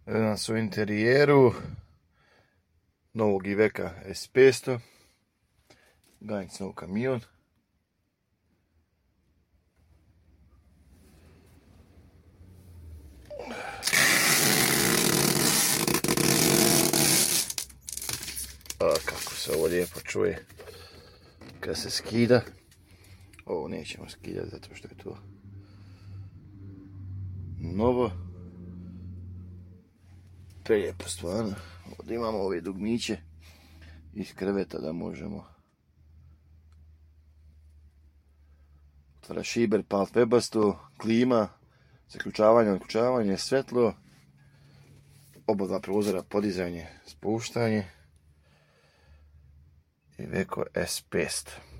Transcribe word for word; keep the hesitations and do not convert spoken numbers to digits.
Danas u interijeru novog Iveca S petsto, ganjic nov kamion. A kako se ovo lijepo čuje kad se skida. Ovo nećemo skidati zato što je to novo. Prelijepo stvarno. Ovdje imamo ove dugmiće iz kreveta da možemo otvara šiber, palt webasto, klima, zaključavanje, odključavanje, svetlo, oba dva prozora, podizanje, spuštanje. Iveco S petsto.